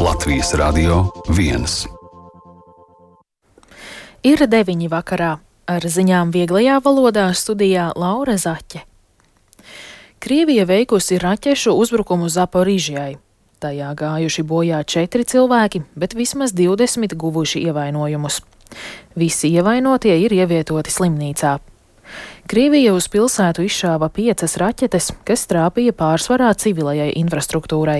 Latvijas Radio 1. Ir 9 vakarā. Ar ziņām vieglajā valodā studijā Laura Zaķe. Krievija veikusi raķešu uzbrukumu Zaporižjai. Tajā gājuši bojā 4 cilvēki, bet vismaz 20 guvuši ievainojumus. Visi ievainotie ir ievietoti slimnīcā. Krievija uz pilsētu izšāva 5 raķetes, kas trāpīja pārsvarā civilajai infrastruktūrai.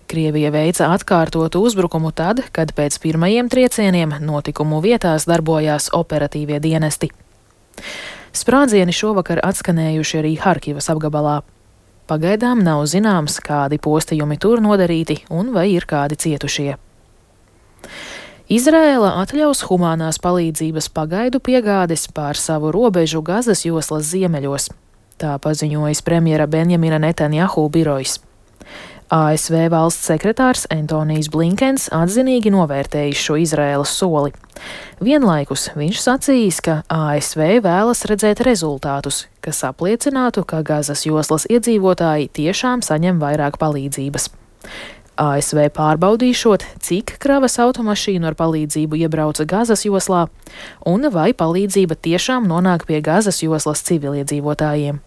Krievija veica atkārtotu uzbrukumu tad, kad pēc pirmajiem triecieniem notikumu vietās darbojās operatīvie dienesti. Sprādzieni šovakar atskanējuši arī Harkivas apgabalā. Pagaidām nav zināms, kādi postījumi tur nodarīti un vai ir kādi cietušie. Izraēla atļaus humānās palīdzības pagaidu piegādes pār savu robežu Gazas joslas ziemeļos. Tā paziņojis premjera Benjamina Netanjahu birojs. ASV valsts sekretārs Antonijs Blinkens atzinīgi novērtējis šo Izraēlas soli. Vienlaikus viņš sacījis, ka ASV vēlas redzēt rezultātus, kas apliecinātu, ka Gazas joslas iedzīvotāji tiešām saņem vairāk palīdzības. ASV pārbaudīšot, cik kravas automašīnu ar palīdzību iebrauca Gazas joslā, un vai palīdzība tiešām nonāk pie Gazas joslas civiliedzīvotājiem.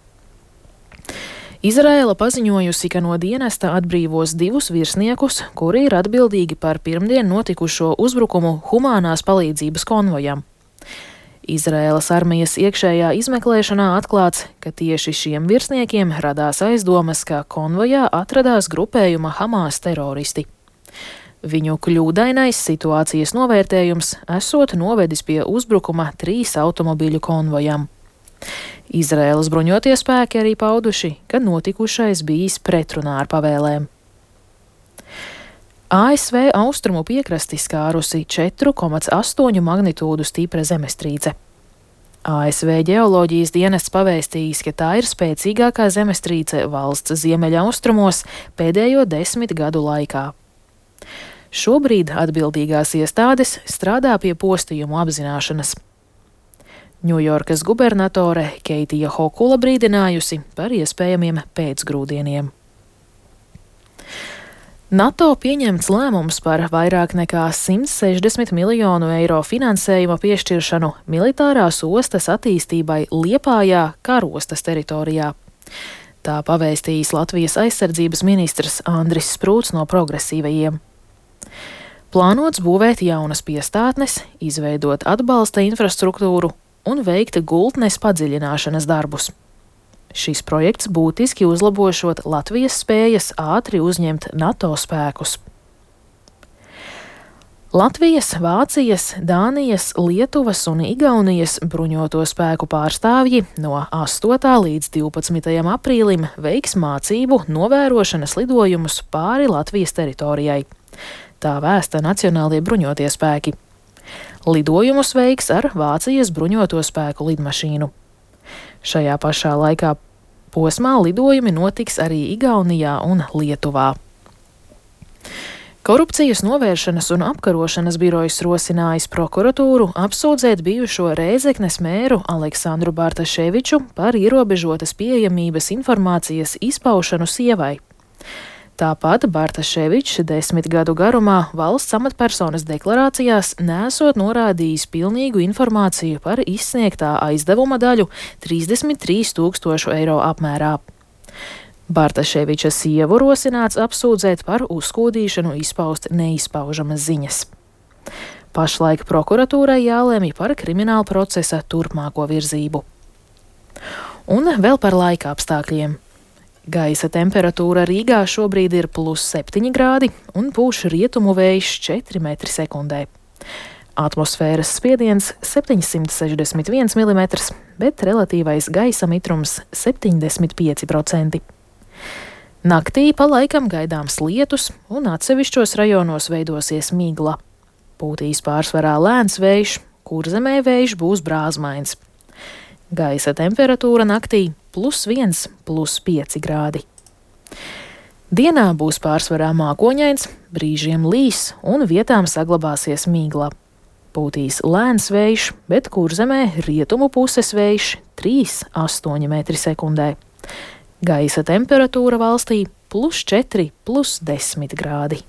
Izraēla paziņojusi, ka no dienesta atbrīvos 2 virsniekus, kuri ir atbildīgi par pirmdien notikušo uzbrukumu humānās palīdzības konvojam. Izraēlas armijas iekšējā izmeklēšanā atklāts, ka tieši šiem virsniekiem radās aizdomas, ka konvojā atradās grupējuma Hamas teroristi. Viņu kļūdainais situācijas novērtējums esot novedis pie uzbrukuma 3 automobīļu konvojam. Izraēlas bruņotie spēki arī pauduši, ka notikušais bijis pretrunā ar pavēlēm. ASV austrumu piekrasti skārusi 4,8 magnitūdu stipra zemestrīce. ASV ģeoloģijas dienests pavēstījis, ka tā ir spēcīgākā zemestrīce valsts ziemeļaustrumos pēdējo 10 gadu laikā. Šobrīd atbildīgās iestādes strādā pie postījumu apzināšanas. Ņujorkas gubernatore Keitija Hokula brīdinājusi par iespējamiem pēcgrūdieniem. NATO pieņemts lēmums par vairāk nekā 160 miljonu eiro finansējuma piešķiršanu militārās ostas attīstībai Liepājā karostas teritorijā. Tā pavēstījis Latvijas aizsardzības ministrs Andris Sprūts no progresīvajiem. Plānots būvēt jaunas piestātnes, izveidot atbalsta infrastruktūru un veikt gultnes padziļināšanas darbus. Šis projekts būtiski uzlabošot Latvijas spējas ātri uzņemt NATO spēkus. Latvijas, Vācijas, Dānijas, Lietuvas un Igaunijas bruņoto spēku pārstāvji no 8. līdz 12. aprīlim veiks mācību novērošanas lidojumus pāri Latvijas teritorijai. Tā vēsta Nacionālie bruņotie spēki. Lidojumus veiks ar Vācijas bruņoto spēku lidmašīnu. Šajā pašā laikā posmā lidojumi notiks arī Igaunijā un Lietuvā. Korupcijas novēršanas un apkarošanas birojs rosinājis prokuratūru apsūdzēt bijušo Rēzeknes mēru Aleksandru Bartaševiču par ierobežotas pieejamības informācijas izpaušanu sievai. Tāpat Bartaševičs 10 gadu garumā valsts amatpersonas deklarācijās nesot norādījis pilnīgu informāciju par izsniegtā aizdevuma daļu 33 000 eiro apmērā. Bartaševiča sievu rosināts apsūdzēt par uzskūdīšanu izpaust neizpaužamas ziņas. Pašlaik prokuratūrai jālemj par krimināla procesa turpmāko virzību. Un vēl par laika apstākļiem. Gaisa temperatūra Rīgā šobrīd ir +7 grādi un pūš rietumu vējš 4 m/sekundē. Atmosfēras spiediens 761 mm, bet relatīvais gaisa mitrums 75%. Naktī pa laikam gaidāms lietus un atsevišķos rajonos veidosies migla. Pūtīs pārsvarā lēns vējš, Kurzemē vējš būs brāzmains. Gaisa temperatūra naktī +1, +5 grādi. Dienā būs pārsvarā mākoņains, brīžiem līs un vietām saglabāsies migla. Pūtīs lēns vējš, bet Kurzemē rietumu puses vējš 3,8 m/sekundē. Gaisa temperatūra valstī +4, +10 grādi.